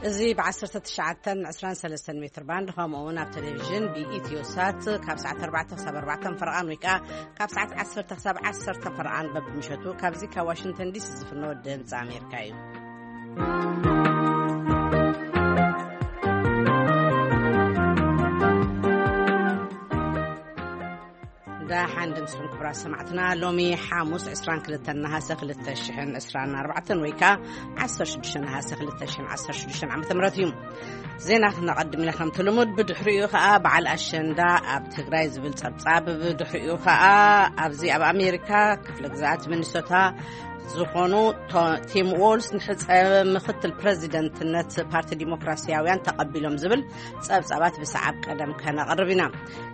እዚ ብ19 23 ሜትር ባንድ፣ ከምኡ እውን ኣብ ቴሌቪዥን ብኢትዮ ሳት ካብ ሰዓት ኣርባዕተ ክሳብ ኣርባዕተ ፈረቓን፣ ወይ ከዓ ካብ ሰዓት ዓሰርተ ክሳብ ዓሰርተ ፈረቓን በብምሸቱ ካብዚ ካብ ዋሽንግተን ዲሲ ዝፍኖ ድምፂ ኣሜሪካ እዩ። ደሓን ድምፅኹም ክቡራት ሰማዕትና። ሎሚ ሓሙስ ዕስራን ክልተን ነሃሰ ክልተ ሽሕን ዕስራን ኣርባዕተን፣ ወይ ከዓ ዓሰርተ ሽዱሽተ ነሃሰ ክልተ ሽሕን ዓሰርተ ሽዱሽተን ዓመተ ምህረት እዩ። ዜና ክነቐድም ኢና ከምቲ ልሙድ። ብድሕሪኡ ከዓ በዓል ኣሸንዳ ኣብ ትግራይ ዝብል ጸብጻብ፣ ብድሕሪኡ ከዓ ኣብዚ ኣብ ኣሜሪካ ክፍለ ግዝኣት ሚኒሶታ ዝኾኑ ቶ-፣ ቲም ዎልስ ንሕጸ ምክትል ፕረዚደንትነት ፓርቲ ዲሞክራሲያውያን ተቐቢሎም ዝብል ጸብጻባት ብሰዓብ ቀደም ከነቕርብ ኢና።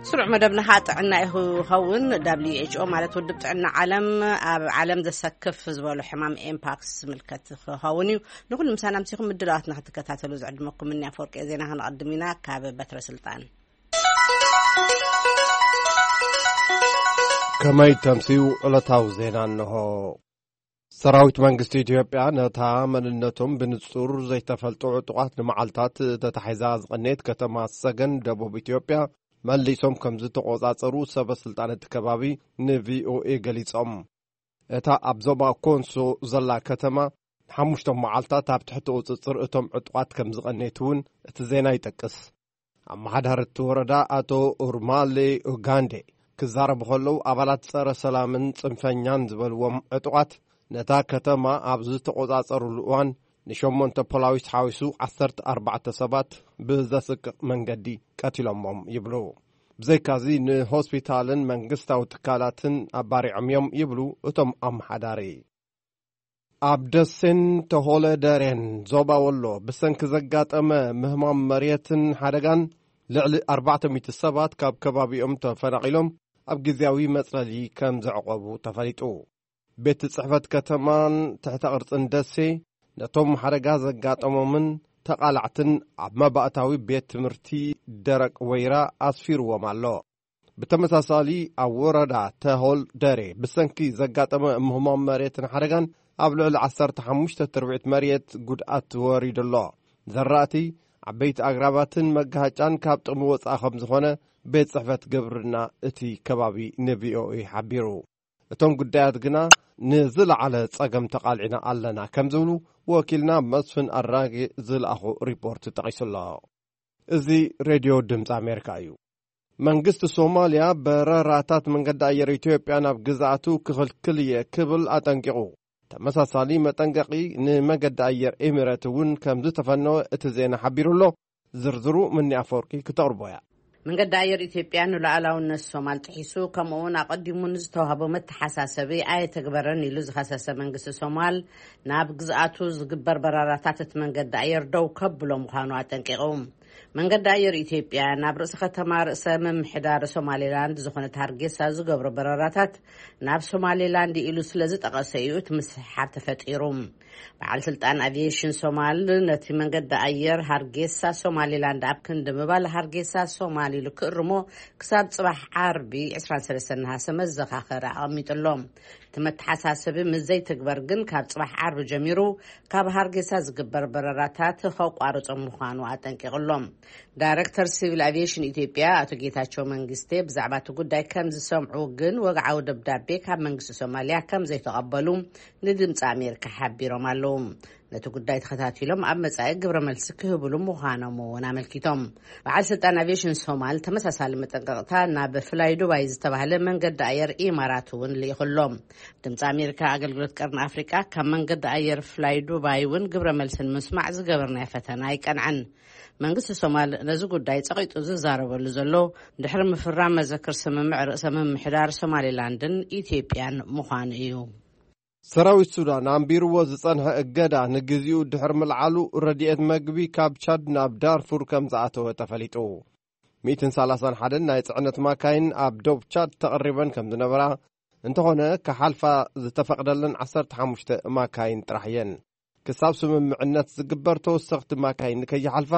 ስሩዕ መደብና ከዓ ጥዕና ይኸውን። ደብሊው ኤች ኦ ማለት ውድብ ጥዕና ዓለም ኣብ ዓለም ዘሰክፍ ዝበሎ ሕማም ኤምፓክስ ዝምልከት ክኸውን እዩ። ንኹሉ ምሳና ምሲኹም ምድላዋትና ክትከታተሉ ዝዕድመኩም እኒ ኣፈወርቂ ዜና። ክንቐድም ኢና ካብ በትረ ስልጣን። ከመይ ተምስዩ ዕለታዊ ዜና እንሆ። ሰራዊት መንግስቲ ኢትዮጵያ ነታ መንነቶም ብንጹር ዘይተፈልጡ ዕጡቓት ንመዓልታት ተታሒዛ ዝቐነየት ከተማ ሰገን ደቡብ ኢትዮጵያ መሊሶም ከም ዝተቖጻጸሩ ሰበ ስልጣን እቲ ከባቢ ንቪኦኤ ገሊጾም። እታ ኣብ ዞባ ኮንሶ ዘላ ከተማ ንሓሙሽተ መዓልታት ኣብ ትሕቲ ቁጽጽር እቶም ዕጡቓት ከም ዝቐነየት እውን እቲ ዜና ይጠቅስ። ኣመሓዳሪ እቲ ወረዳ ኣቶ ኡርማሌ ኡጋንዴ ክዛረቡ ከለዉ፣ ኣባላት ጸረ ሰላምን ጽንፈኛን ዝበልዎም ዕጡቓት ነታ ከተማ ኣብ ዝተቖጻጸሩሉ እዋን ንሸሞንተ ፖላዊስ ሓዊሱ ዓሰርተ ኣርባዕተ ሰባት ብዘስቅቕ መንገዲ ቀቲሎሞም ይብሉ። ብዘይካዚ ንሆስፒታልን መንግስታዊ ትካላትን ኣባሪዖም እዮም ይብሉ እቶም ኣመሓዳሪ። ኣብ ደሴን ተሆለ ደሬን ዞባ ወሎ ብሰንኪ ዘጋጠመ ምህማም መሬትን ሓደጋን ልዕሊ ኣርባዕተ ሚእቲ ሰባት ካብ ከባቢኦም ተፈናቒሎም ኣብ ግዜያዊ መጽለሊ ከም ዘዕቆቡ ተፈሊጡ። ቤት ጽሕፈት ከተማን ትሕተ ቅርጽን ደሴ ነቶም ሓደጋ ዘጋጠሞምን ተቓላዕትን ኣብ መባእታዊ ቤት ትምህርቲ ደረቅ ወይራ ኣስፊርዎም ኣሎ። ብተመሳሳሊ ኣብ ወረዳ ተሆል ደሬ ብሰንኪ ዘጋጠመ ምህማም መሬትን ሓደጋን ኣብ ልዕሊ ዓሰርተ ሓሙሽተ ትርብዒት መሬት ጉድኣት ወሪዱ ኣሎ። ዘራእቲ፣ ዓበይቲ ኣግራባትን መጋሃጫን ካብ ጥቕሚ ወፃኢ ከም ዝኾነ ቤት ጽሕፈት ግብርና እቲ ከባቢ ንቪኦኤ ሓቢሩ። እቶም ጉዳያት ግና ንዝለዓለ ጸገም ተቓሊዕና ኣለና ከም ዝብሉ ወኪልና መስፍን ኣራጌ ዝለኣኾ ሪፖርት ጠቒሱ ኣሎ። እዚ ሬድዮ ድምፂ ኣሜሪካ እዩ። መንግስቲ ሶማልያ በረራታት መንገዲ ኣየር ኢትዮጵያ ናብ ግዝኣቱ ክኽልክል እየ ክብል ኣጠንቂቑ። ተመሳሳሊ መጠንቀቒ ንመገዲ ኣየር ኤሚሬት እውን ከም ዝተፈነወ እቲ ዜና ሓቢሩ ኣሎ። ዝርዝሩ ምኒ ኣፈወርቂ ክተቕርቦ እያ። መንገዲ ኣየር ኢትዮጵያ ንሉዓላውነት ሶማል ጥሒሱ፣ ከምኡ እውን ኣቐዲሙ ንዝተዋህቦ መተሓሳሰቢ ኣየተግበረን ኢሉ ዝኸሰሰ መንግስቲ ሶማል፣ ናብ ግዝኣቱ ዝግበር በረራታት እቲ መንገዲ ኣየር ደው ከብሎ ምዃኑ ኣጠንቂቑ። መንገዲ ኣየር ኢትዮጵያ ናብ ርእሲ ከተማ ርእሰ ምምሕዳር ሶማሌላንድ ዝኾነት ሃርጌሳ ዝገብሮ በረራታት ናብ ሶማሌላንድ ኢሉ ስለ ዝጠቐሰ እዩ እቲ ምስሕሓብ ተፈጢሩ። በዓል ስልጣን ኣቪዬሽን ሶማል ነቲ መንገዲ ኣየር ሃርጌሳ ሶማሌላንድ ኣብ ክንዲ ምባል ሃርጌሳ ሶማል ኢሉ ክእርሞ ክሳብ ጽባሕ ዓርቢ ዕስራን ሰለስተን ነሃሰ መዘኻኸሪ ኣቐሚጡ ኣሎ። እቲ መተሓሳሰቢ ምስ ዘይትግበር ግን ካብ ጽባሕ ዓርቢ ጀሚሩ ካብ ሃርጌሳ ዝግበር በረራታት ከቋርጾ ምዃኑ ኣጠንቂቑ ኣሎ። ዳይሬክተር ሲቪል ኣቪዬሽን ኢትዮጵያ ኣቶ ጌታቸው መንግስቴ ብዛዕባ እቲ ጉዳይ ከም ዝሰምዑ ግን ወግዓዊ ደብዳቤ ካብ መንግስቲ ሶማልያ ከም ዘይተቐበሉ ንድምፂ ኣሜሪካ ሓቢሮም ኣለዉ። ነቲ ጉዳይ ተኸታቲሎም ኣብ መጻኢ ግብረ መልሲ ክህብሉ ምዃኖም እውን ኣመልኪቶም። በዓል ስልጣን ኣቪዬሽን ሶማል ተመሳሳሊ መጠንቀቕታ ናብ ፍላይ ዱባይ ዝተባህለ መንገዲ ኣየር ኢማራት እውን ልኢኹሎም። ድምፂ ኣሜሪካ ኣገልግሎት ቀርኒ ኣፍሪቃ ካብ መንገዲ ኣየር ፍላይ ዱባይ እውን ግብረ መልሲ ንምስማዕ ዝገበርናዮ ፈተና ኣይቀንዐን። መንግስቲ ሶማል ነዚ ጉዳይ ጸቒጡ ዝዛረበሉ ዘሎ ድሕሪ ምፍራም መዘክር ስምምዕ ርእሰ ምምሕዳር ሶማሌላንድን ኢትዮጵያን ምዃኑ እዩ። ሰራዊት ሱዳን ኣንቢርዎ ዝጸንሐ እገዳ ንግዚኡ ድሕሪ ምልዓሉ፣ ረድኤት መግቢ ካብ ቻድ ናብ ዳርፉር ከም ዝኣተወ ተፈሊጡ። ሚእትን ሰላሳን ሓደን ናይ ጽዕነት ማካይን ኣብ ዶብ ቻድ ተቐሪበን ከም ዝነበራ፣ እንተኾነ ክሓልፋ ዝተፈቕደለን ዓሰርተ ሓሙሽተ ማካይን ጥራሕ እየን። ክሳብ ስምምዕነት ዝግበር ተወሰኽቲ ማካይን ንከይሓልፋ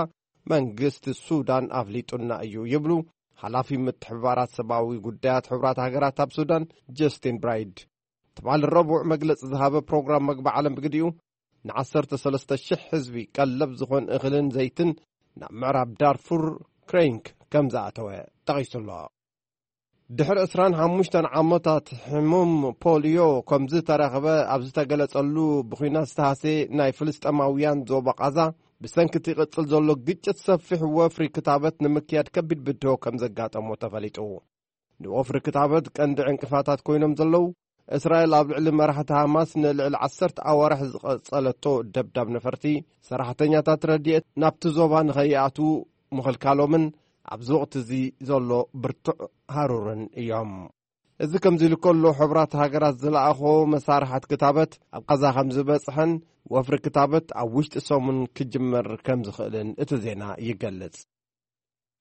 መንግስቲ ሱዳን ኣፍሊጡና እዩ ይብሉ ሓላፊ ምትሕብባራት ሰብኣዊ ጉዳያት ሕቡራት ሃገራት ኣብ ሱዳን ጀስቲን ብራይድ። ትማሊ ረቡዕ መግለጺ ዝሃበ ፕሮግራም መግቢ ዓለም ብግዲኡ፣ ንዓሰርተ ሰለስተ ሽሕ ህዝቢ ቀለብ ዝኾን እኽልን ዘይትን ናብ ምዕራብ ዳርፉር ክሬንክ ከም ዝኣተወ ጠቒሱ ኣሎ። ድሕሪ ዕስራን ሓሙሽተን ዓመታት ሕሙም ፖልዮ ከም ዝተረኽበ ኣብ ዝተገለጸሉ፣ ብኹናት ዝተሃስየ ናይ ፍልስጤማውያን ዞባ ቓዛ፣ ብሰንኪ እቲ ይቕጽል ዘሎ ግጭት ሰፊሕ ወፍሪ ክታበት ንምክያድ ከቢድ ብድሆ ከም ዘጋጠሞ ተፈሊጡ። ንወፍሪ ክታበት ቀንዲ ዕንቅፋታት ኮይኖም ዘለዉ፣ እስራኤል ኣብ ልዕሊ መራሕቲ ሃማስ ንልዕሊ ዓሰርተ ኣዋርሕ ዝቐጸለቶ ደብዳብ ነፈርቲ፣ ሰራሕተኛታት ረድኤት ናብቲ ዞባ ንኸይኣትዉ ምኽልካሎምን ኣብዚ ወቕቲ እዚ ዘሎ ብርቱዕ ሃሩርን እዮም። እዚ ከምዚ ኢሉ ከሎ፣ ሕቡራት ሃገራት ዝለኣኾ መሳርሓት ክታበት ኣብ ቓዛ ከም ዝበጽሐን ወፍሪ ክታበት ኣብ ውሽጢ ሰሙን ክጅመር ከም ዝኽእልን እቲ ዜና ይገልጽ።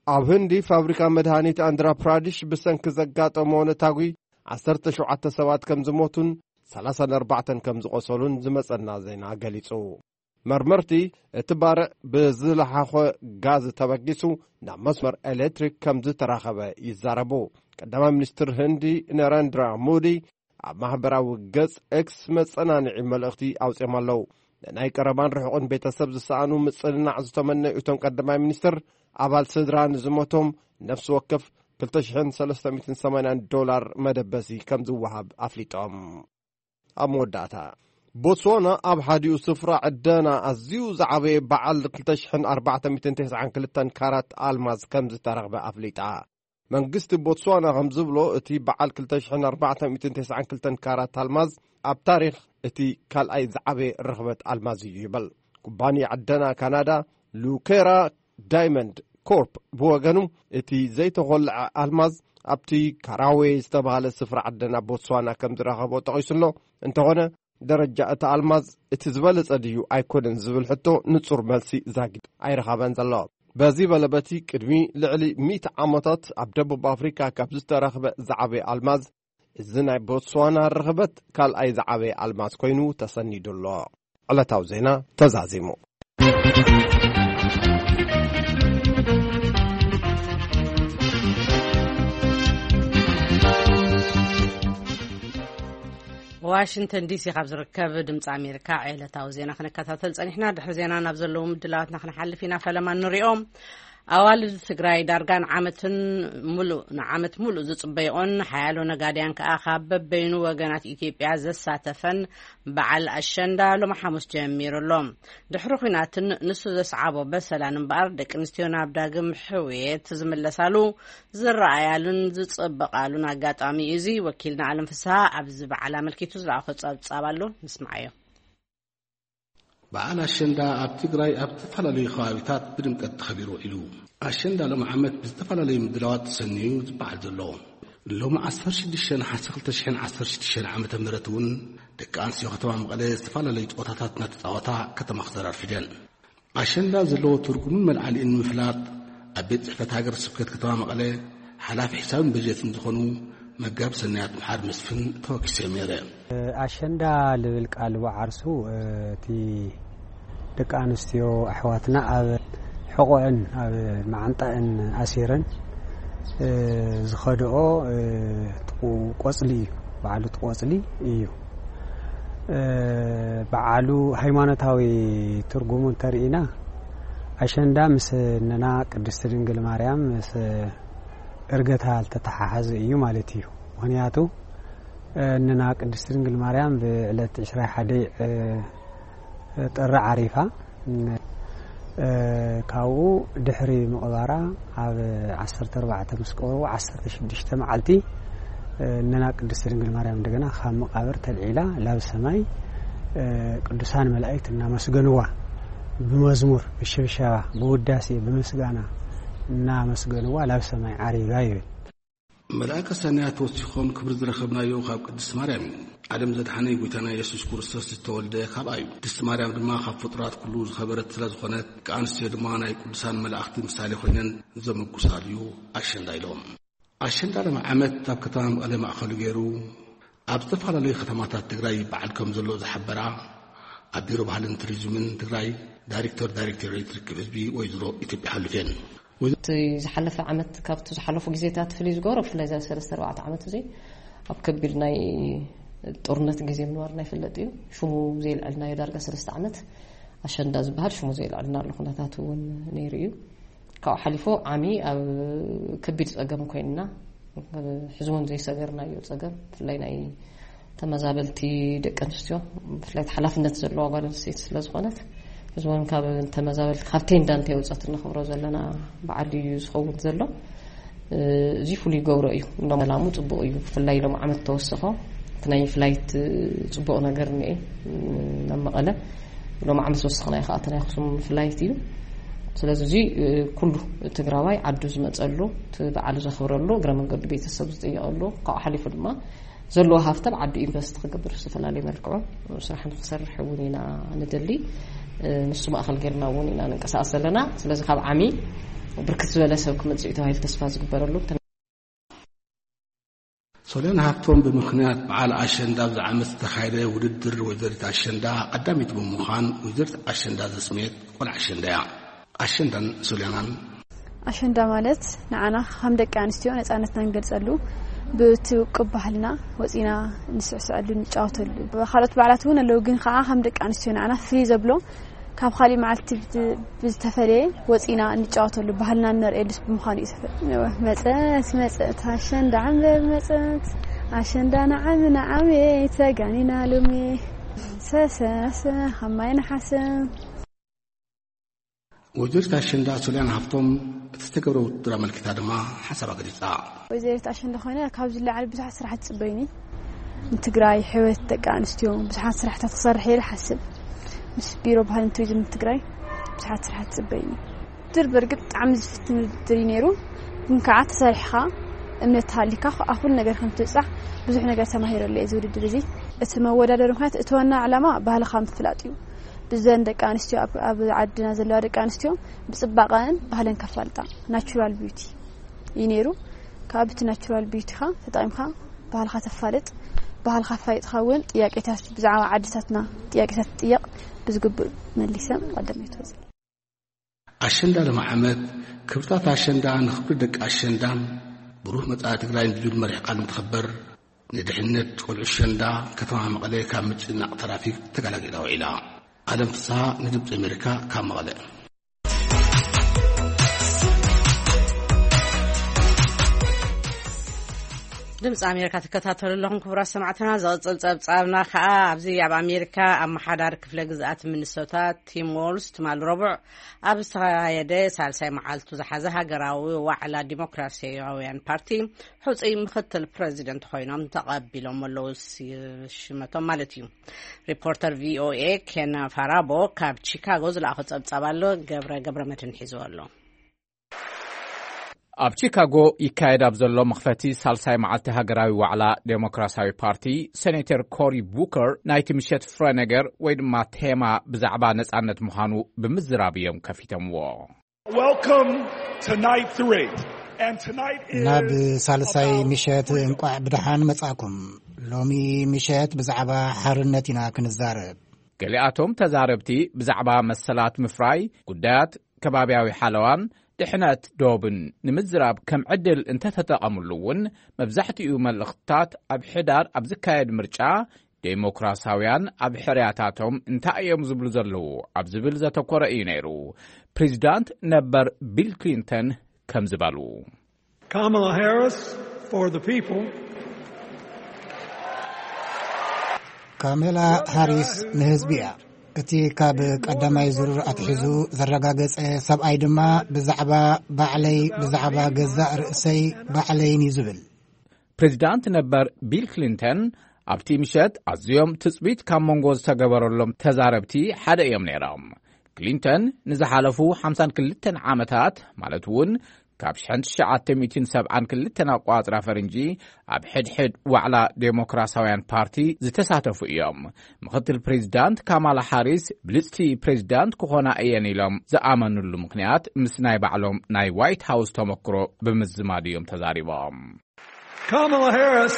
ኣብ ህንዲ ፋብሪካ መድሃኒት ኣንድራ ፕራዲሽ ብሰንኪ ዘጋጠሞ ነታጒ ዓሰርተ ሸውዓተ ሰባት ከም ዝሞቱን ሰላሳን ኣርባዕተን ከም ዝቖሰሉን ዝመጸና ዜና ገሊጹ። መርመርቲ እቲ ባርዕ ብዝለሓኾ ጋዝ ተበጊሱ ናብ መስመር ኤሌክትሪክ ከም ዝተራኸበ ይዛረቡ። ቀዳማይ ሚኒስትር ህንዲ ነረንድራ ሞዲ ኣብ ማህበራዊ ገጽ ኤክስ መጸናንዒ መልእኽቲ ኣውጺኦም ኣለዉ። ንናይ ቀረባን ርሑቕን ቤተሰብ ዝሰኣኑ ምጽንናዕ ዝተመነዩ እቶም ቀዳማይ ሚኒስትር፣ ኣባል ስድራ ንዝሞቶም ነፍሲ ወከፍ ክልተ ሽሕን ሰለስተ ሚእትን ሰማንያን ዶላር መደበሲ ከም ዝወሃብ ኣፍሊጦም። ኣብ መወዳእታ፣ ቦትስዋና ኣብ ሓዲኡ ስፍራ ዕደና ኣዝዩ ዝዓበየ በዓል ክልተ ሽሕን ኣርባዕተ ሚእትን ተስዓን ክልተን ካራት ኣልማዝ ከም ዝተረኽበ ኣፍሊጣ። መንግስቲ ቦትስዋና ከም ዝብሎ፣ እቲ በዓል ክልተ ሽሕን ኣርባዕተ ሚእትን ተስዓን ክልተን ካራት ኣልማዝ ኣብ ታሪኽ እቲ ካልኣይ ዝዓበየ ርኽበት ኣልማዝ እዩ ይበል። ኩባንያ ዕደና ካናዳ ሉኬራ ዳይመንድ ኮርፕ ብወገኑ፣ እቲ ዘይተኾልዐ ኣልማዝ ኣብቲ ካራዌ ዝተባህለ ስፍራ ዕደና ቦትስዋና ከም ዝረኸቦ ጠቒሱ ኣሎ። እንተኾነ፣ ደረጃ እቲ ኣልማዝ እቲ ዝበለጸ ድዩ ኣይኮነን ዝብል ሕቶ ንጹር መልሲ ዛጊድ ኣይረኸበን ዘሎ። በዚ በለ በቲ ቅድሚ ልዕሊ ሚእቲ ዓመታት ኣብ ደቡብ ኣፍሪካ ካብ ዝተረኽበ ዝዓበየ ኣልማዝ፣ እዚ ናይ ቦትስዋና ርኽበት ካልኣይ ዝዓበየ ኣልማዝ ኮይኑ ተሰኒዱ ኣሎ። ዕለታዊ ዜና ተዛዚሙ። ዋሽንግተን ዲሲ ካብ ዝርከብ ድምፂ ኣሜሪካ ዕለታዊ ዜና ክንከታተል ፀኒሕና። ድሕሪ ዜና ናብ ዘለዉ ምድላዋትና ክንሓልፍ ኢና። ፈለማ ንሪኦም። ኣዋልድ ትግራይ ዳርጋ ንዓመትን ሙሉእ ንዓመት ሙሉእ ዝፅበይኦን ሓያሎ ነጋድያን ከዓ ካብ በበይኑ ወገናት ኢትዮጵያ ዘሳተፈን በዓል ኣሸንዳ ሎሚ ሓሙስ ጀሚሩ ኣሎ። ድሕሪ ኲናትን ንሱ ዘስዓቦ በሰላን እምበኣር፣ ደቂ ኣንስትዮ ናብ ዳግም ሕውየት ዝምለሳሉ፣ ዝረኣያሉን ዝፅበቓሉን ኣጋጣሚ እዩ። እዚ ወኪልና ኣለም ፍስሃ ኣብዚ በዓል ኣመልኪቱ ዝለኣኾ ፀብፃብ ኣሎ፣ ንስማዓዮ። በዓል ኣሸንዳ ኣብ ትግራይ ኣብ ዝተፈላለዩ ከባቢታት ብድምቀት ተኸቢሩ ውዒሉ። ኣሸንዳ ሎም ዓመት ብዝተፈላለዩ ምድላዋት ተሰንዩ ዝበዓል ዘሎ። ሎም ዓሰርተ ሽዱሽተ ነሓሰ ክልተ ሽሕን ዓሰርተ ሽዱሽተን ዓመተ ምህረት እውን ደቂ ኣንስትዮ ከተማ መቐለ ዝተፈላለዩ ፀወታታት እናተፃወታ ከተማ ክዘራ ኣርፊደን። ኣሸንዳ ዘለዎ ትርጉምን መልዓሊኡን ንምፍላጥ ኣብ ቤት ጽሕፈት ሃገረ ስብከት ከተማ መቐለ ሓላፊ ሒሳብን በጀትን ዝኾኑ መጋቢ ሰናያት መሓሪ መስፍን ተወኪሰ ነይረ። ኣሸንዳ ልብል ቃል ብዓርሱ፣ እቲ ደቂ ኣንስትዮ ኣሕዋትና ኣብ ሕቖአን ኣብ መዓንጣአን ኣሲረን ዝኸድኦ ቆጽሊ እዩ። በዓሉ እቲ ቆጽሊ እዩ። በዓሉ ሃይማኖታዊ ትርጉሙ እንተርኢና፣ ኣሸንዳ ምስ እነና ቅድስቲ ድንግል ማርያም ምስ እርገታ ዝተተሓሓዘ እዩ ማለት እዩ። ምኽንያቱ እነና ቅድስቲ ድንግል ማርያም ብዕለት ዕስራ ሓደ ጥሪ ዓሪፋ፣ ካብኡ ድሕሪ ምቕባራ ኣብ ዓሰርተ ኣርባዕተ ምስ ቀበሩ ዓሰርተ ሽዱሽተ መዓልቲ እነና ቅድስቲ ድንግል ማርያም እንደገና ካብ መቃብር ተልዒላ ላብ ሰማይ ቅዱሳን መላእክት እናመስገንዋ፣ ብመዝሙር፣ ብሽብሸባ፣ ብውዳሴ፣ ብምስጋና እናመስገንዋ ላብ ሰማይ ዓሪጋ ይብል። መልኣከ ሰናያት ወሲኾም፣ ክብሪ ዝረኸብናዮ ካብ ቅድስቲ ማርያም እዩ። ዓለም ዘድሓነ ጎይታና የሱስ ክርስቶስ ዝተወልደ ካብኣ እዩ። ቅድስቲ ማርያም ድማ ካብ ፍጡራት ኩሉ ዝኸበረት ስለ ዝኾነት፣ ደቂ ኣንስትዮ ድማ ናይ ቅዱሳን መላእኽቲ ምሳሌ ኮይነን ዘመጉሳሉ እዩ ኣሸንዳ ኢሎም። ኣሸንዳ ሎም ዓመት ኣብ ከተማ መቐለ ማእኸሉ ገይሩ ኣብ ዝተፈላለዩ ከተማታት ትግራይ ይበዓል ከም ዘሎ ዝሓበራ ኣብ ቢሮ ባህልን ቱሪዝምን ትግራይ ዳይሬክተር ዳይሬክቶሬት ርክብ ህዝቢ ወይዘሮ ኢትዮጵያ ሓሉፍ እየን። ወይዘሮ እቲ ዝሓለፈ ዓመት ካብቲ ዝሓለፉ ግዜታት ፍልይ ዝገብሮ፣ ብፍላይ እዚ ሰለስተ ኣርባዕተ ዓመት እዚ ኣብ ከቢድ ናይ ጦርነት ግዜ ምንባርና ይፍለጥ እዩ። ሽሙ ዘየልዐልናዮ ዳርጋ ሰለስተ ዓመት ኣሸንዳ ዝበሃል ሽሙ ዘየልዐልና ኣሎ ኩነታት እውን ነይሩ እዩ። ካብኡ ሓሊፉ ዓሚ ኣብ ከቢድ ጸገም ኮይንና፣ ሕዚ እውን ዘይሰገርናዮ ጸገም፣ ብፍላይ ናይ ተመዛበልቲ ደቂ ኣንስትዮ፣ ብፍላይ ሓላፍነት ዘለዋ ጓል ኣንስተይቲ ስለ ዝኾነት፣ ሕዚ እውን ካብ ተመዛበልቲ፣ ካብ ቴንዳ እንተይወፀት እንኽብሮ ዘለና በዓል እዩ ዝኸውን ዘሎ። እዚ ፍሉይ ገብሮ እዩ። እንዶ ሰላሙ ጽቡቕ እዩ። ብፍላይ ሎም ዓመት ተወሰኾ፣ እቲ ናይ ፍላይት ጽቡቕ ነገር እኒኤ፣ ናብ መቐለ ሎም ዓመት ወሰኽና፣ ይኸኣተና ኣኽሱም ፍላይት እዩ። ስለዚ እዚ ኩሉ ትግራዋይ ዓዱ ዝመጸሉ፣ እቲ በዓል ዘኽብረሉ፣ እግረ መንገዱ ቤተሰብ ዝጥየቐሉ፣ ካብኡ ሓሊፉ ድማ ዘለዎ ሃፍቲ ኣብ ዓዱ ኢንቨስት ክገብር፣ ዝተፈላለዩ መልክዑ ስራሕ ንክሰርሕ እውን ኢና ንደሊ። ንሱ ማእኸል ጌርና እውን ኢና ንንቀሳቐስ ዘለና። ስለዚ ካብ ዓሚ ብርክት ዝበለ ሰብ ክመጽእ እዩ ተባሂሉ ተስፋ ዝግበረሉ። ሶልያን ሃብቶም ብምኽንያት በዓል ኣሸንዳ ኣብዚ ዓመት ዝተኻየደ ውድድር ወይዘሪት ኣሸንዳ ቀዳሚት ብምዃን፣ ወይዘሪት ኣሸንዳ ዘስመየት ቆልዓ ኣሸንዳ እያ። ኣሸንዳን ሶልያናን። ኣሸንዳ ማለት ንዓና ከም ደቂ ኣንስትዮ ነፃነትና ንገልፀሉ፣ ብቲ ውቅብ ባህልና ወፂና ንስዕስዐሉ፣ ንጫወተሉ። ካልኦት በዓላት እውን ኣለዉ፣ ግን ከዓ ከም ደቂ ኣንስትዮ ንዓና ፍልይ ዘብሎ፣ ካብ ካሊእ መዓልቲ ብዝ-፣ ብዝተፈለየ ወፂና እንጫወተሉ፣ ባህልና እነርእየሉ ብምዃኑ እዩ። ተፈ-፣ መፀት፣ መፀት፣ ኣሸንዳ ዓንበብ መፀት፣ ኣሸንዳ ንዓሚ ንዓሚ፣ ተጋኒና ሎሚ፣ ሰሰሰ፣ ካብ ማይ ነሓሰ። ወይዘሪት ኣሸንዳ ሶልያን ሃብቶም እቲ ዝተገብረ ውድድር ኣመልኪታ ድማ ሓሳባ ገሊፃ። ወይዘሪት ኣሸንዳ ኮይነ፣ ካብ ዝለዓል ብዙሓት ስራሕቲ ትፅበይኒ። ንትግራይ ሕወት ደቂ ኣንስትዮ ብዙሓት ስራሕታት ክሰርሕ እየ ዝሓስብ። ምስ ቢሮ ባህልን ቱሪዝም ትግራይ ብዙሓት ስራሕቲ ትፅበይኒ። ውድድር በርግጥ ብጣዕሚ ዝፍትን ውድድር እዩ ነይሩ፣ ግን ከዓ ተሰሪሕኻ እምነት ተሃሊካ ኣብ ኩሉ ነገር ከም ትብፃሕ ብዙሕ ነገር ተማሂረሉ እየ እዚ ውድድር እዚ። እቲ መወዳደሪ ምክንያት፣ እቲ ዋና ዕላማ ባህልኻ ምፍላጥ እዩ። ብዘን ደቂ ኣንስትዮ ኣብ፣ ኣብ ዓድና ዘለዋ ደቂ ኣንስትዮ ብፅባቐን ባህለን ከፋልጣ፣ ናቹራል ቢዩቲ እዩ ነይሩ። ካብ እቲ ናቹራል ቢዩቲኻ ተጠቒምካ ባህልኻ ተፋልጥ፣ ባህልኻ ኣፋሊጥካ እውን ጥያቄታት ብዛዕባ ዓድታትና ጥያቄታት ትጥየቕ ብዝግብእ መሊሰ ቀዳመይቲ ወፅእ። ኣሸንዳ ሎሚ ዓመት ክብርታት ኣሸንዳ ንኽብሪ ደቂ ኣሸንዳን ብሩህ መጻኢ ትግራይን ብዝብል መሪሕ ቃል እንትኽበር፣ ንድሕነት ቆልዑ ኣሸንዳ ከተማ መቐለ ካብ ምጭናቕ ትራፊክ ተገላጊላ ውዒላ። ኣለም ፍስሃ ንድምፂ ኣሜሪካ ካብ መቐለ። ድምፂ ኣሜሪካ ትከታተሉ ኣለኹም ክቡራት ሰማዕትና። ዝቕፅል ፀብፃብና ከዓ ኣብዚ ኣብ ኣሜሪካ ኣመሓዳሪ ክፍለ ግዝኣት ሚኒሶታ ቲም ዎልዝ ትማሊ ረቡዕ ኣብ ዝተኻየደ ሳልሳይ መዓልቱ ዝሓዘ ሃገራዊ ዋዕላ ዲሞክራሲያውያን ፓርቲ ሕፁይ ምክትል ፕረዚደንት ኮይኖም ተቐቢሎም ኣለዉ ሲ-፣ ሽመቶም ማለት እዩ። ሪፖርተር ቪኦኤ ኬን ፋራቦ ካብ ቺካጎ ዝለኣኾ ጸብጻብ ኣሎ። ገብረ፣ ገብረ መድህን ሒዝዎ ኣሎ። ኣብ ቺካጎ ይካየድ ኣብ ዘሎ መኽፈቲ ሳልሳይ መዓልቲ ሃገራዊ ዋዕላ ዴሞክራሲያዊ ፓርቲ፣ ሴኔተር ኮሪ ቡከር ናይቲ ምሸት ፍረ ነገር ወይ ድማ ቴማ ብዛዕባ ነጻነት ምዃኑ ብምዝራብ እዮም ከፊቶምዎ። Welcome to night three. And tonight is ናብ ሳልሳይ about ምሸት freedom. እንቋዕ ብደሓን መጻእኩም። ሎሚ ምሸት ብዛዕባ ሓርነት ኢና ክንዛረብ። ገሊኣቶም ተዛረብቲ ብዛዕባ መሰላት ምፍራይ፣ ጉዳያት ከባብያዊ ሓለዋን ድሕነት ዶብን ንምዝራብ ከም ዕድል እንተተጠቐምሉ እውን፣ መብዛሕትኡ መልእኽትታት ኣብ ሕዳር ኣብ ዝካየድ ምርጫ ዴሞክራሲያውያን ኣብ ሕርያታቶም እንታይ እዮም ዝብሉ ዘለዉ ኣብ ዝብል ዘተኮረ እዩ ነይሩ። ፕሬዚዳንት ነበር ቢል ክሊንተን ከም ዝበሉ። Kamala Harris for the people. ካሜላ ሃሪስ ንህዝቢ እያ። እቲ ካብ ቀዳማይ ዙር ኣትሒዙ ዘረጋገጸ ሰብኣይ ድማ ብዛዕባ ባዕለይ፣ ብዛዕባ ገዛእ ርእሰይ ባዕለይን እዩ ዝብል። ፕሬዚዳንት ነበር ቢል ክሊንተን ኣብቲ ምሸት ኣዝዮም ትጽቢት ካብ መንጎ ዝተገበረሎም ተዛረብቲ ሓደ እዮም ነይሮም። ክሊንተን ንዝሓለፉ ሓምሳን ክልተን ዓመታት፣ ማለት እውን ካብ ሽሕን ትሽዓተ ሚእትን ሰብዓን ክልተን ኣቋጽራ ፈረንጂ፣ ኣብ ሕድሕድ ዋዕላ ዴሞክራሲያውያን ፓርቲ ዝተሳተፉ እዮም። ምኽትል ፕሬዚዳንት ካማላ ሃሪስ ብልጽቲ ፕሬዚዳንት ክኾና እየን ኢሎም ዝኣመኑሉ ምኽንያት ምስ ናይ ባዕሎም ናይ ዋይት ሃውስ ተመክሮ ብምዝማድ እዮም ተዛሪቦም። Kamala Harris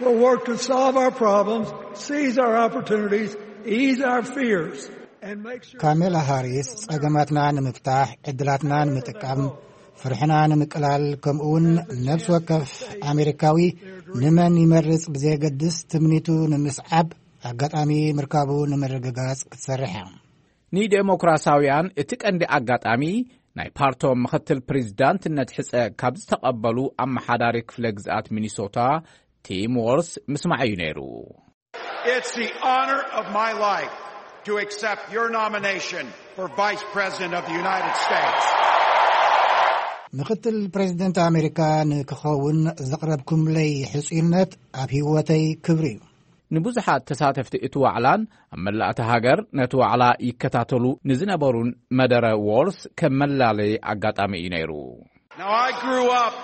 will work to solve our problems, seize our opportunities, ease our fears, and make sure ካሜላ ሃሪስ ጸገማትና ንምፍታሕ፣ ዕድላትና ንምጥቃም፣ ፍርሕና ንምቅላል፣ ከምኡውን ነፍሲ ወከፍ ኣሜሪካዊ ንመን ይመርጽ ብዘየገድስ፣ ትምኒቱ ንምስዓብ ኣጋጣሚ ምርካቡ ንምርግጋጽ ክትሰርሕ እያ። ንዴሞክራሳውያን እቲ ቀንዲ ኣጋጣሚ፣ ናይ ፓርቶም ምኽትል ፕሬዚዳንትነት ሕጸ ካብ ዝተቐበሉ ኣመሓዳሪ ክፍለ ግዝኣት ሚኒሶታ ቲም ዎልስ ምስማዕ እዩ ነይሩ። It's the honor of my life to accept your nomination for Vice President of the United States. ምኽትል ፕሬዚደንት ኣሜሪካ ንክኸውን ዘቕረብኩምለይ ሕጹይነት ኣብ ህይወተይ ክብሪ እዩ። ንብዙሓት ተሳተፍቲ እቲ ዋዕላን ኣብ መላእቲ ሃገር ነቲ ዋዕላ ይከታተሉ ንዝነበሩን መደረ ዎልስ ከም መላለይ ኣጋጣሚ እዩ ነይሩ። Now, I grew up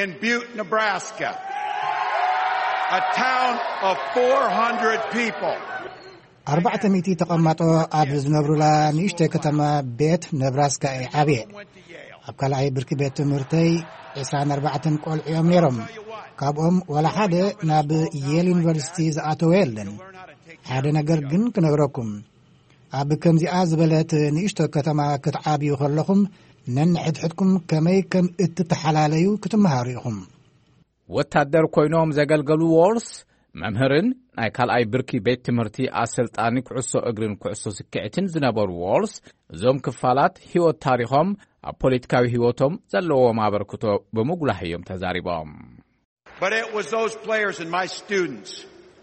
in Butte, Nebraska, a town of four hundred people. ኣርባዕተ ሚእቲ ተቐማጦ ኣብ ዝነብሩላ ንእሽተይ ከተማ ቤት ነብራስካ እየ ዓብየ። ኣብ ካልኣይ ብርኪ ቤት ትምህርተይ ዕስራን ኣርባዕተን ቆልዑ እዮም ነይሮም። ካብኦም ዋላ ሓደ ናብ የል ዩኒቨርሲቲ ዝኣተወ የለን። ሓደ ነገር ግን ክነግረኩም፣ ኣብ ከምዚኣ ዝበለት ንእሽቶ ከተማ ክትዓብዩ ከለኹም፣ ነንሕድሕድኩም ከመይ ከም እትተሓላለዩ ክትመሃሩ ኢኹም። ወታደር ኮይኖም ዘገልገሉ ዎልስ፣ መምህርን ናይ ካልኣይ ብርኪ ቤት ትምህርቲ ኣሰልጣኒ ኩዕሶ እግርን ኩዕሶ ስክዕትን ዝነበሩ ዎልስ፣ እዞም ክፋላት ህይወት ታሪኾም ኣብ ፖለቲካዊ ህይወቶም ዘለዎም ኣበርክቶ ብምጉላህ እዮም ተዛሪቦም። But it was those players and my students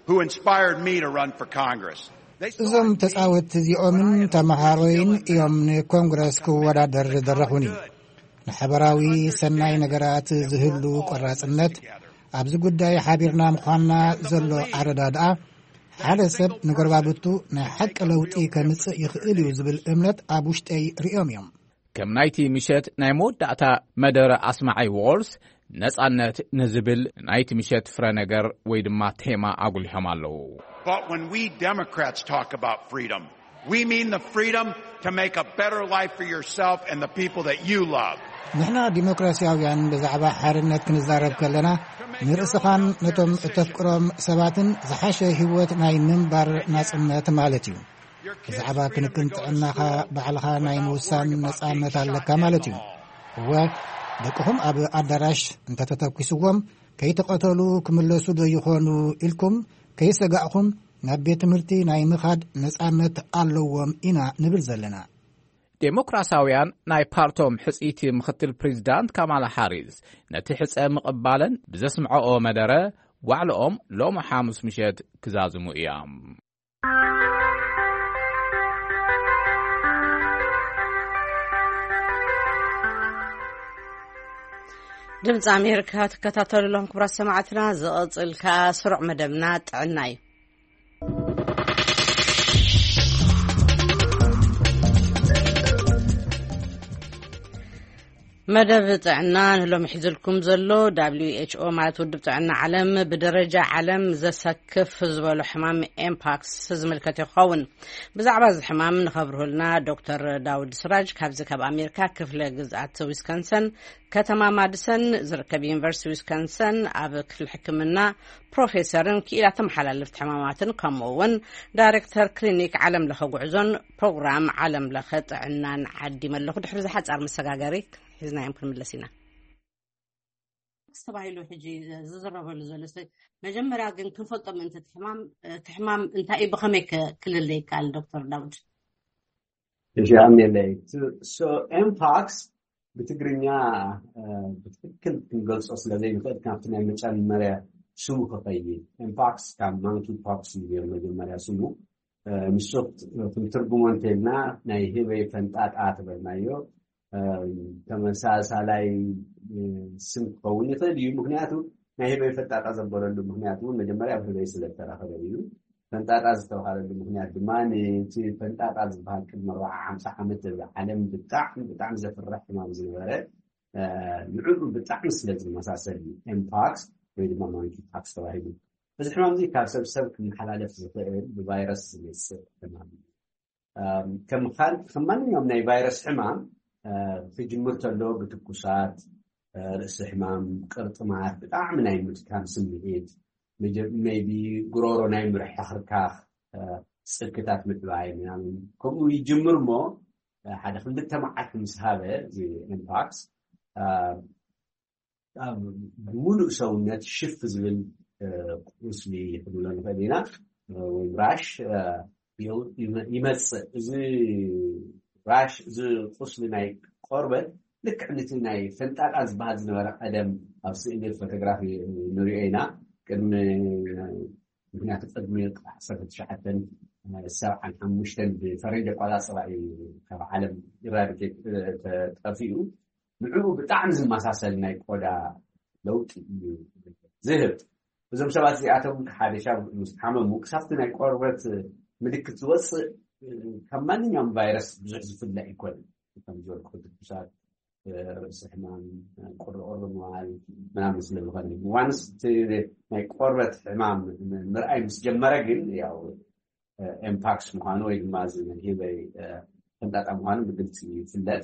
who inspired me to run for Congress. They saw እዞም in me ተጻወትቲ እዚኦምን ተመሃሮይን እዮም ንኮንግረስ ክወዳደር ዝደረኹኒ። ንሓበራዊ ሰናይ ነገራት ዝህሉ ቆራጽነት፣ ኣብዚ ጉዳይ ሓቢርና ምዃንና ዘሎ ኣረዳድኣ፣ ሓደ ሰብ ንጎረባብቱ ናይ ሓቂ ለውጢ ከምጽእ ይኽእል እዩ ዝብል እምነት ኣብ ውሽጠይ ርእዮም እዮም። ከም ናይቲ ምሸት ናይ መወዳእታ መደረ ኣስማዓይ ዎልስ፣ ነጻነት ንዝብል ናይቲ ምሸት ፍረ ነገር ወይ ድማ ቴማ ኣጉሊሖም ኣለዉ። But when we Democrats talk about freedom, we mean the freedom to make a better life for yourself and the people that you love. ንሕና ዲሞክራሲያውያን ብዛዕባ ሓርነት ክንዛረብ ከለና፣ ንርእስኻን ነቶም እተፍቅሮም ሰባትን ዝሓሸ ህይወት ናይ ምንባር ናጽነት ማለት እዩ። ብዛዕባ ክንክን ጥዕናኻ ባዕልኻ ናይ ምውሳን ነጻነት ኣለካ ማለት እዩ። እወ፣ ደቅኹም ኣብ ኣዳራሽ እንተተተኲስዎም ከይተቐተሉ ክምለሱ ዶ ይኾኑ ኢልኩም ከይሰጋእኹም ናብ ቤት ትምህርቲ ናይ ምኻድ ነጻነት ኣለዎም ኢና ንብል ዘለና። ዴሞክራሲያውያን ናይ ፓርቶም ሕጽይቲ ምኽትል ፕሬዚዳንት ካማላ ሃሪስ ነቲ ሕጸ ምቕባለን ብዘስምዐኦ መደረ ዋዕለኦም ሎም ሓሙስ ምሸት ክዛዝሙ እዮም። ድምፂ ኣሜሪካ ትከታተሉ ኣለኹም ክቡራት ሰማዕትና። ዝቕፅል ከዓ ስሩዕ መደብና ጥዕና እዩ። መደብ ጥዕና ንሎሚ ሒዝልኩም ዘሎ፣ ዳብሊው ኤች ኦ ማለት ውድብ ጥዕና ዓለም ብደረጃ ዓለም ዘሰክፍ ዝበሎ ሕማም ኤምፓክስ ዝምልከት ይኸውን። ብዛዕባ እዚ ሕማም ንኸብርሁልና ዶክተር ዳውድ ስራጅ ካብዚ ካብ ኣሜሪካ ክፍለ ግዝኣት ዊስኮንሰን ከተማ ማድሰን ዝርከብ ዩኒቨርሲቲ ዊስኮንሰን ኣብ ክፍሊ ሕክምና ፕሮፌሰርን ክኢላ ተመሓላለፍቲ ሕማማትን ከምኡ እውን ዳይሬክተር ክሊኒክ ዓለም ለኸ ጉዕዞን ፕሮግራም ዓለም ለኸ ጥዕናን ዓዲመ ኣለኹ። ድሕሪ ዝሓፃር መሰጋገሪ ሒዝናዮም ክንምለስ ኢና። ተባሂሉ ሕጂ ዝዝረበሉ ዘሎ መጀመርያ ግን ክንፈልጦ ምእንቲ እቲ ሕማም፣ እቲ ሕማም እንታይ እዩ፣ ብኸመይ ክልለ ይከኣል? ዶክተር ዳውድ። እዚኣም የለይ። So ኤምፓክስ ብትግርኛ ብትክክል ክንገልጾ ስለ ዘይንኽእል ካብቲ ናይ መጨመርያ ስሙ ክኸይድ። ኤምፓክስ ካብ ማንኪ ፖክስ እዩ ነይሩ መጀመርያ ስሙ። ንሱ ክንትርጉሞ እንተልና ናይ ህበይ ፈንጣጣ ትበልናዮ ተመሳሳላይ ስም ክኸውን ይኽእል እዩ። ምክንያቱ ናይ ህበይ ፈንጣጣ ዘበለሉ ምክንያት እውን መጀመርያ ኣብ ህበይ ስለ ዝተረኸበ እዩ። ፈንጣጣ ዝተባሃለሉ ምክንያት ድማ ነቲ ፈንጣጣ ዝበሃል ቅድሚ ኣርባዓ ሓምሳ ዓመት ኣብ ዓለም ብጣዕሚ ብጣዕሚ ዘፍርሕ ሕማም ዝነበረ ንዕኡ ብጣዕሚ ስለ ዝመሳሰል እዩ ኤምፓክስ ወይ ድማ ማንኪ ፓክስ ተባሂሉ። እዚ ሕማም እዚ ካብ ሰብ ሰብ ክመሓላለፍ ዝኽእል ብቫይረስ ዝመፅእ ሕማም እዩ። ከም ማንኛውም ናይ ቫይረስ ሕማም ክጅምር ተሎ ብትኩሳት፣ ርእሲ ሕማም፣ ቅርጥማት፣ ብጣዕሚ ናይ ምድካም ስምዒት፣ maybe ጉሮሮ ናይ ምርሕኽርካኽ ፅክታት ምዕባይ ምናምን ከምኡ ይጅምር እሞ ሓደ ክልተ መዓልቲ ምስ ሃበ እዚ ኤምፓክስ ኣብ ብምሉእ ሰውነት ሽፍ ዝብል ቁስሊ ክንብሎ ንኽእል ኢና፣ ወይ ራሽ ይመፅእ። እዚ ራሽ፣ እዚ ቁስሊ ናይ ቆርበት ልክዕ ነቲ ናይ ፈንጣጣ ዝበሃል ዝነበረ ቀደም ኣብ ስእሊ ፎቶግራፊ ንሪኦ ኢና። ቅድሚ ምክንያቱ ቅድሚ ዓሰርተ ትሽዓተ ሰብዓን ሓሙሽተን ብፈረንጂ ኣቆፃፅራ እዩ ካብ ዓለም ኢራዲኬት ተጠፊኡ። ንዕኡ ብጣዕሚ ዝመሳሰል ናይ ቆዳ ለውጢ እዩ ዝህብ። እዞም ሰባት እዚኣቶም ሓደ ሻብ ምስ ሓመሙ ክሳብቲ ናይ ቆርበት ምልክት ዝወፅእ ካብ ማንኛውም ቫይረስ ብዙሕ ዝፍለ ኣይኮነን። ከም ዝበልኩ ትኩሳት፣ ርእሲ ሕማም፣ ቁርቆር ምባል ምናምን ስለ ዝኾነ ዋንስ ናይ ቆርበት ሕማም ምርኣይ ምስ ጀመረ ግን ያው ኤምፓክስ ምዃኑ ወይ ድማ እዚ ህበይ ፈንጣጣ ምዃኑ ብግልፂ ይፍለጥ።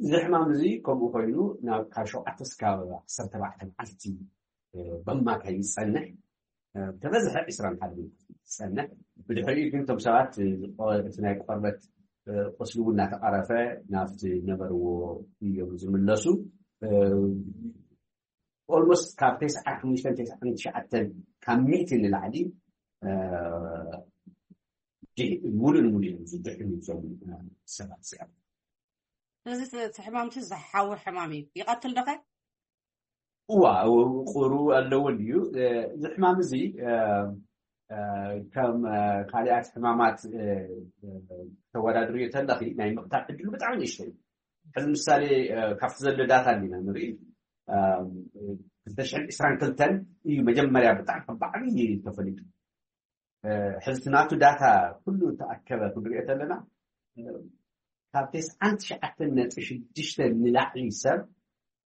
እዚ ሕማም እዚ ከምኡ ኮይኑ ናብ ካብ ሸውዓተ እስካብ ዓሰርተ ኣርባዕተ መዓልቲ በማካይ ይፀንሕ። ተበዝሐ ዕስራን ሓደን ዝፀንሕ። ብድሕሪኡ ግን እቶም ሰባት እቲ ናይ ቆርበት ቁስሊ እውን እናተቐረፈ ናብቲ ነበርዎ እዮም ዝምለሱ። ኦልሞስት ካብ ተስዓን ሓሙሽተን ተስዓን ትሽዓተን ካብ ሚእቲ ንላዕሊ ሙሉእ ንሙሉእ እዮም ዝድሕኑ እዞም ሰባት እዚኦም። እዚ ሕማምቲ ዝሓዊ ሕማም እዩ። ይቐትል ዶኸ? እዋ፣ ቁሩ ኣለዎ እዩ። እዚ ሕማም እዚ ከም ካልኣት ሕማማት ተወዳድርዮ ተለኺ ናይ ምቕታል ዕድሉ ብጣዕሚ ንእሽቶ እዩ። ሕዚ ምሳሌ ካብቲ ዘሎ ዳታ እንዲና ንርኢ። ክልተ ሽሕን ዕስራን ክልተን እዩ መጀመርያ ብጣዕሚ ብዓብዪ ተፈሊጡ። ሕዚ ናቱ ዳታ ኩሉ ተኣከበ ክንሪኦ ተለና ካብ ተስዓን ትሽዓተን ነጥቢ ሽዱሽተ ንላዕሊ ሰብ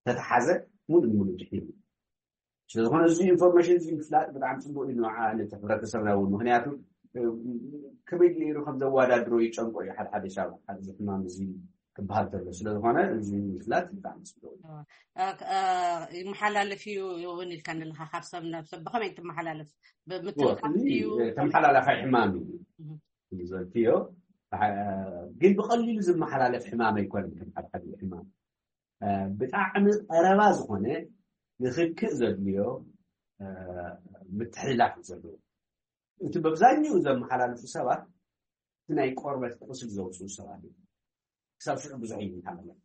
ተተሓዘ ሙሉ ንሙሉ ድሒኑ። ስለዝኾነ እዚ ኢንፎርሜሽን እዚ ምፍላጥ ብጣዕሚ ፅቡቅ እዩ ንዓ ነቲ ሕብረተሰብና እውን። ምክንያቱ ከመይ ገይሩ ከም ዘወዳድሮ ይጨንቆ እዩ። ሓደ ሓደ ሻብ እዚ ሕማም እዚ ክበሃል ተሎ ስለዝኾነ እዚ ምፍላጥ ብጣዕሚ ፅቡቅ እዩ። ይመሓላለፍ እዩ እውን ኢልካ ንለካ ካብ ሰብ ናብ ሰብ ብከመይ ትመሓላለፍ? ብምትንኻፍ እዩ? ተመሓላላፋይ ሕማም እዩ ዝበልክዮ። ግን ብቐሊሉ ዝመሓላለፍ ሕማም ኣይኮነን። ከም ሓደ ሓደ ሕማም ብጣዕሚ ቀረባ ዝኾነ ንክክእ ዘድልዮ ምትሕልላፍ እዩ ዘለዎ። እቲ በብዛኛኡ ዘመሓላልፉ ሰባት እቲ ናይ ቆርበት ቁስል ዘውፅኡ ሰባት እዮም። ክሳብ ሽዑ ብዙሕ እዩ ዝመሓላለፍ።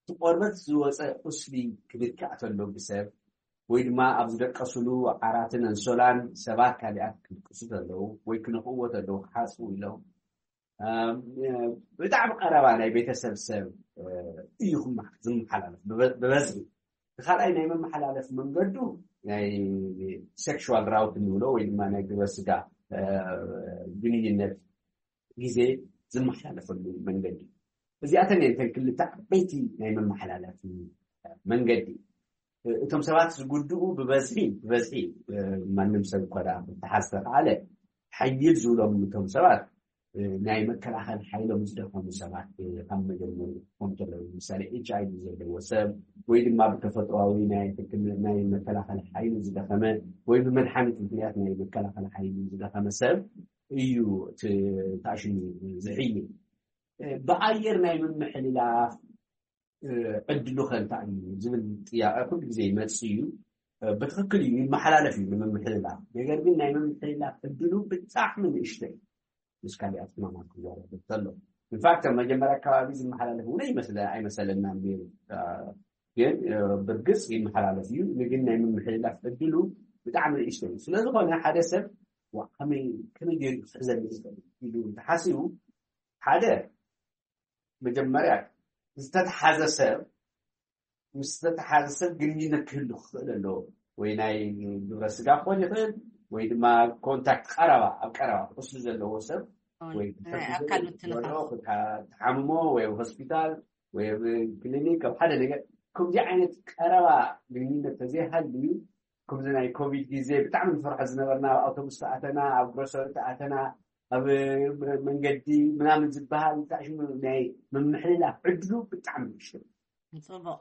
እቲ ቆርበት ዝወፀ ቁስሊ ክድካእ ተሎ ብሰብ ወይ ድማ ኣብ ዝደቀስሉ ዓራትን ኣንሶላን ሰባት ካሊኣት ክድቅሱ ተለዉ ወይ ክነኽእዎ ተለዉ ክሓፅቡ ኢሎም ብጣዕሚ ቀረባ ናይ ቤተሰብ ሰብ እዩ ዝመሓላለፍ ብበዝሒ። እቲ ካልኣይ ናይ መመሓላለፍ መንገዱ ናይ ሴክሽዋል ራውት እንብሎ ወይ ድማ ናይ ግብረ ስጋ ግንኙነት ግዜ ዝመሓላለፈሉ መንገዲ። እዚኣተን እየን እተን ክልተ ዓበይቲ ናይ መመሓላለፊ መንገዲ። እቶም ሰባት ዝጉድኡ ብበዝሒ ብበዝሒ ማንም ሰብ እኳ ደኣ ክተሓዝ ተኸኣለ ሓይል ዝብሎም እቶም ሰባት ናይ መከላኸል ሓይሎም ዝደኸሙ ሰባት ካብ መጀመሩ ክኾኑ ከለዉ ምሳሌ ኤች ኣይ ቪ ዘለዎ ሰብ ወይ ድማ ብተፈጥሮዊ ናይ ሕክምና ናይ መከላኸል ሓይሉ ዝደኸመ ወይ ብመድሓኒት ምክንያት ናይ መከላኸል ሓይሉ ዝደኸመ ሰብ እዩ ተኣሽሙ ዝሕይል። ብኣየር ናይ ምምሕልላፍ ዕድሉ ከ እንታይ እዩ ዝብል ጥያቄ ኩሉ ግዜ ይመፅእ እዩ። ብትክክል እዩ ይመሓላለፍ እዩ ንምምሕልላፍ። ነገር ግን ናይ ምምሕልላፍ ዕድሉ ብጣዕሚ ንእሽቶ እዩ ምስ ካሊኣት ሕማማት ክወዳደር ከሎ። ኢንፋክት ኣብ መጀመርያ ኣካባቢ ዝመሓላለፍ እውን ኣይመስለ ኣይመሰለና ነይሩ። ግን ብርግፅ ይመሓላለፍ እዩ። ግን ናይ ምምሕልላፍ ዕድሉ ብጣዕሚ ንእሽቶ እዩ። ስለዝኾነ ሓደ ሰብ ከመይ ገይሩ ክሕዘኒ ዝኽእል ኢሉ እንተሓሲቡ ሓደ መጀመርያ ዝተተሓዘ ሰብ ምስ ዝተተሓዘ ሰብ ግንኙነት ክህሉ ክኽእል ኣለዎ። ወይ ናይ ግብረ ስጋ ክኾን ይኽእል ወይ ድማ ኮንታክት ቀረባ ኣብ ቀረባ ቁስሊ ዘለዎ ሰብ ወይ ኣካል ምትንኻፍ ተሓምሞ ወይ ኣብ ሆስፒታል ወይ ኣብ ክሊኒክ ኣብ ሓደ ነገር ከምዚ ዓይነት ቀረባ ግንኙነት ተዘይሃልዩ ከምዚ ናይ ኮቪድ ግዜ ብጣዕሚ ንፈርሖ ዝነበርና ኣብ ኣውቶቡስ ተኣተና ኣብ ግሮሰሪ ተኣተና ኣብ መንገዲ ምናምን ዝበሃል ብጣዕሚ ናይ ምምሕልላፍ ዕድሉ ብጣዕሚ ንእሽቶ። ፅቡቅ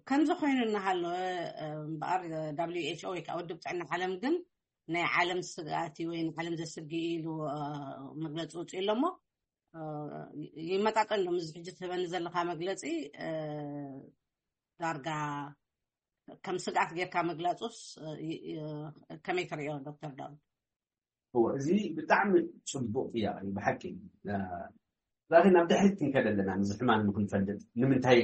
ከምዚ ኮይኑ እናሃለወ እምበኣር ደብሊው ኤች ኦ ወይ ከዓ ውድብ ጥዕና ዓለም ግን ናይ ዓለም ስግኣት እዩ ወይ ንዓለም ዘስግእ እዩ ኢሉ መግለፂ ውፅኡ ኣሎ እሞ ይመጣጠን ዶ ምስዚ ሕጂ ትህበኒ ዘለካ መግለፂ ዳርጋ ከም ስግኣት ጌርካ ምግላጹስ ከመይ ትርእዮ ዶክተር ዳዊት? እዎ፣ እዚ ብጣዕሚ ጽቡቕ ጥያቄ እዩ ብሓቂ። ላኪን ናብ ድሕሪት ክንከደ ኣለና፣ ንዚ ሕማም ንክንፈልጥ ንምንታይ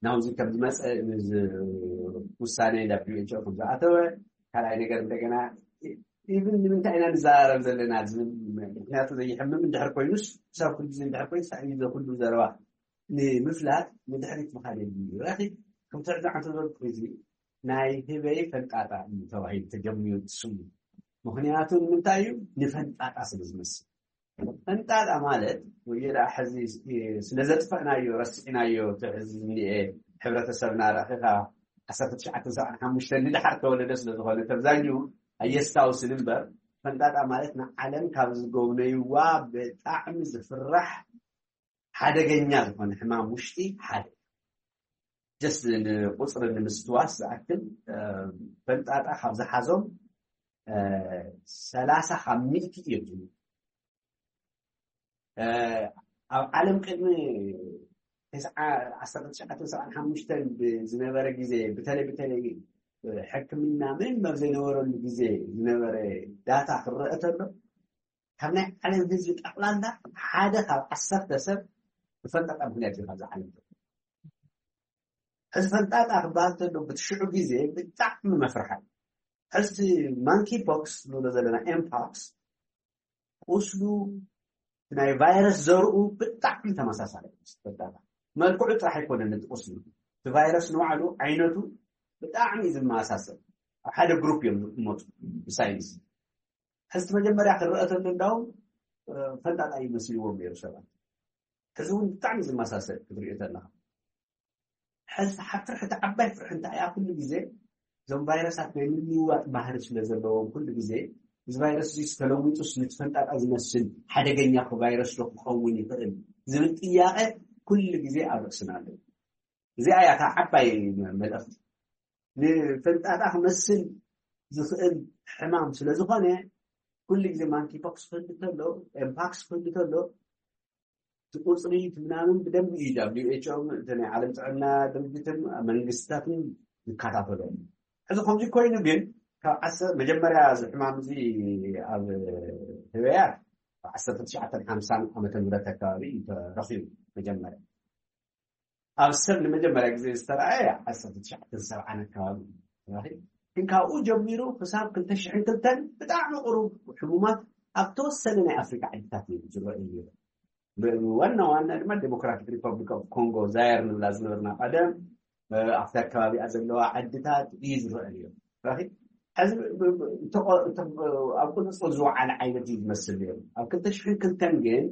ናውዚ ከም ዝመፀ፣ ንዚ ውሳነ ዳብሊው ኤች ኦ ከም ዝኣተወ፣ ካልኣይ ነገር እንደገና ኢቭን ንምንታይ ኢና ንዘራረብ ዘለና ዝብል፣ ምክንያቱ ዘይሕምም እንድሕር ኮይኑስ ክሳብ ኩሉ ግዜ እንድሕር ኮይኑ ሳዕ ዘ ኩሉ ዘረባ ንምፍላጥ ንድሕሪት ምኻድ የድልዩ። ረኺ ከምቲ ሕዚ ዓንተ ዝበልኩ እዚ ናይ ህበይ ፈንጣጣ እዩ ተባሂሉ ተጀሚሩ ስሙ። ምክንያቱ ንምንታይ እዩ? ንፈንጣጣ ስለ ዝመስል። ፈንጣጣ ማለት ወይ ደኣ ሕዚ ስለ ዘጥፈእናዮ ረሲዕናዮ፣ እቲ ሕዚ እኒኤ ሕብረተሰብና ረኺኻ ዓሰርተ ትሽዓተ ሰብዓን ሓሙሽተን ንድሓር ተወለደ ስለ ዝኾነ ተብዛኙ ኣየስታውስን እምበር፣ ፈንጣጣ ማለት ንዓለም ካብ ዝጎብነይዋ ብጣዕሚ ዝፍራሕ ሓደገኛ ዝኾነ ሕማም ውሽጢ ሓደ። ጀስት ንቁፅሪ ንምስትዋስ ዝኣክል፣ ፈንጣጣ ካብ ዝሓዞም ሰላሳ ካብ ሚእቲ እዮም ዝብሉ። ኣብ ዓለም ቅድሚ ዓሰርተ ትሽዓተ ሰብዓን ሓሙሽተን ብዝነበረ ግዜ፣ ብተለይ ብተለይ ሕክምና ምንም ኣብ ዘይነበረሉ ግዜ ዝነበረ ዳታ ክረአ ተሎ፣ ካብ ናይ ዓለም ህዝቢ ጠቕላላ ሓደ ካብ ዓሰርተ ሰብ ብፈንጣጣ ምክንያት እዩ ካብዚ ዓለም። ሕዚ ፈንጣጣ ክበሃል ተሎ ብትሽዑ ግዜ ብጣዕሚ መፍርሓ። ሕዚ ማንኪ ፖክስ ንብሎ ዘለና ኤምፓክስ ቁስሉ ናይ ቫይረስ ዘርኡ ብጣዕሚ ተመሳሳለ። ፈንጣጣ መልክዑ ጥራሕ ኣይኮነን እቲ ቁስሉ፣ እቲ ቫይረስ ንባዕሉ ዓይነቱ ብጣዕሚ እዩ ዝመሳሰል። ኣብ ሓደ ግሩፕ እዮም ዝመፁ ብሳይንስ። ሕዚ መጀመርያ ክረአ ተሎ እንዳውም ፈንጣጣ ይመስልዎም ነይሩ ሰባት። ሕዚ እውን ብጣዕሚ ዝመሳሰል ክትሪኦ ተለካ። ሕዚ ፍርሒ፣ እቲ ዓባይ ፍርሒ እንታይ እያ? ኩሉ ግዜ እዞም ቫይረሳት ናይ ምልውዋጥ ባህሪ ስለ ዘለዎም ኩሉ ግዜ እዚ ቫይረስ እዚ ዝተለዊጡስ ንትፈንጣጣ ዝመስል ሓደገኛ ቫይረስ ዶ ክኸውን ይኽእል ዝብል ጥያቄ ኩሉ ግዜ ኣብ ርእስና ኣሎ። እዚኣ እያ እታ ዓባይ መልእኽቲ። ንፈንጣጣ ክመስል ዝኽእል ሕማም ስለ ዝኾነ ኩሉ ግዜ ማንኪ ፖክስ ክህሉ ተሎ፣ ኤምፓክስ ክህሉ ተሎ፣ እቲ ቁፅሪ እቲ ምናምን ብደንብ እዩ። ዳብሊው ኤች ኦ እቲ ናይ ዓለም ጥዕና ድርጅትን መንግስታትን ይከታተሎ። ሕዚ ከምዚ ኮይኑ ግን ካብ ዓሰ መጀመርያ እዚ ሕማም እዚ ኣብ ህበያት ዓሰርተ ትሽዓተ ሓምሳን ዓመተ ምህረት ኣካባቢ እዩ ተረኺቡ። መጀመርያ ኣብ ሰብ ንመጀመርያ ግዜ ዝተረኣየ ዓሰርተ ትሽዓተ ሰብዓን ኣካባቢ እዩ። ግን ካብኡ ጀሚሩ ክሳብ ክልተ ሽሕን ክልተን ብጣዕሚ ቁሩብ ሕሙማት ኣብ ተወሰነ ናይ ኣፍሪካ ዓድታት እዩ ዝረኣዩ። ዋና ዋና ድማ ዴሞክራቲክ ሪፐብሊክ ኦፍ ኮንጎ ዛየር ንብላ ዝነበርና ቀደም ኣብቲ ኣከባቢኣ ዘለዋ ዓድታት እዩ ዝረአ ነይሩ። ሕዚ ኣብ ቁፅፅር ዝወዓለ ዓይነት እዩ ዝመስል ነይሩ። ኣብ ክልተ ሽሕን ክልተን ግን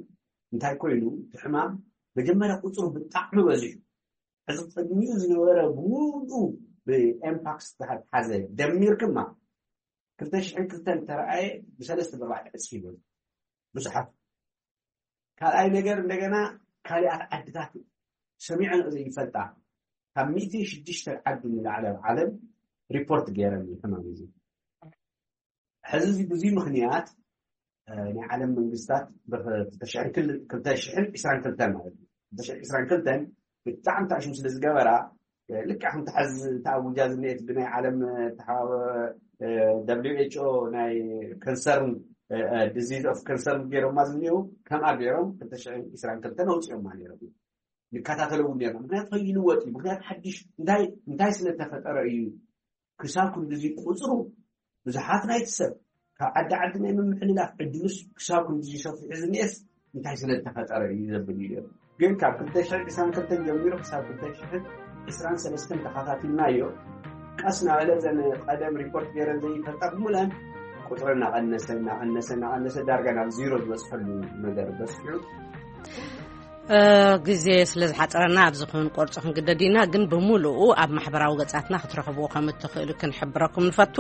እንታይ ኮይኑ እቲ ሕማም መጀመርያ ቁፅሩ ብጣዕሚ በዚሑ። ሕዚ ቅድሚኡ ዝነበረ ብሙሉ ብኤምፓክስ ዝተሓዘ ደሚርክማ ክልተ ሽሕን ክልተን ተረኣየ ብሰለስተ ብኣርባዕተ ዕፅፊ ይበሉ ብዙሓት። ካልኣይ ነገር እንደገና ካሊኣት ዓድታት ሰሚዐን ዘይፈልጣ ካብ ሚእቲ ሽዱሽተ ዓዲ ንላዕሊ ኣብ ዓለም ሪፖርት ገይረን እዩ ሕማም እዚ። ሕዚ እዚ ብዙይ ምክንያት ናይ ዓለም መንግስታት ክልተ ሽሕን ዕስራን ክልተን ማለት እዩ። ክልተ ሽሕን ዕስራን ክልተን ብጣዕሚ ታሽም ስለ ዝገበራ ልክዕ ከምቲ ሕዚ ተኣውጃ ዝኒኤት ብናይ ዓለም ደብሊው ኤች ኦ ናይ ከንሰርን ዲዚዝ ኦፍ ከንሰርን ገይሮማ ዝኒው ከምኣ ገይሮም ክልተ ሽሕን ዕስራን ክልተን ኣውፅኦማ ነይሮም። ንከታተሎ እውን ነርና። ምክንያቱ ከይልወጥ እዩ። ምክንያቱ ሓድሽ እንታይ እንታይ ስለተፈጠረ እዩ ክሳብ ክንድዚ ቁፅሩ ብዙሓት ናይቲ ሰብ ካብ ዓዲ ዓዲ ናይ ምምሕልላፍ ዕድሉስ ክሳብ ክንድዚ ሰፊሑ ዝኒኤስ እንታይ ስለተፈጠረ እዩ ዘብል እዩ። ግን ካብ ክልተ ሽሕን ዕስራን ክልተን ጀሚሩ ክሳብ ክልተ ሽሕን ዕስራን ሰለስተን ተኸታቲልናዮ። ቀስ እናበለ ዘን ቀደም ሪፖርት ገይረን ዘይፈልጣ ብሙለን ቁፅሪ እናቐነሰ እናቐነሰ እናቐነሰ ዳርጋ ናብ ዚሮ ዝበፅሐሉ ነገር በፅሑ። ግዜ ስለ ዝሓፀረና ኣብዚ ክንቆርፆ ክንግደድ ኢና። ግን ብምሉኡ ኣብ ማሕበራዊ ገፃትና ክትረኽብዎ ከም እትኽእሉ ክንሕብረኩም ንፈቱ።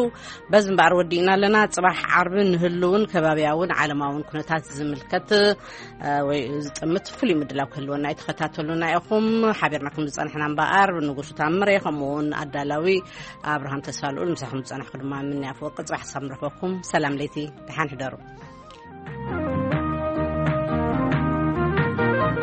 በዚ እምበኣር ወዲእና ኣለና። ፅባሕ ዓርቢ ንህልውን ከባብያውን ዓለማውን ኩነታት ዝምልከት ወይ ዝጥምት ፍሉይ ምድላው ክህልወና እዩ። ተኸታተሉና ኢኹም። ሓቢርናኩም ዝፀናሕና እምበኣር ንጉሱ ታምረ ከምኡ እውን ኣዳላዊ ኣብርሃም ተስፋልኡል፣ ምሳኹም ዝፀናሕኩ ድማ ምንያ ኣፈወርቂ። ፅባሕ ክሳብ ንረኽበኩም ሰላም ለይቲ፣ ደሓን ሕደሩ።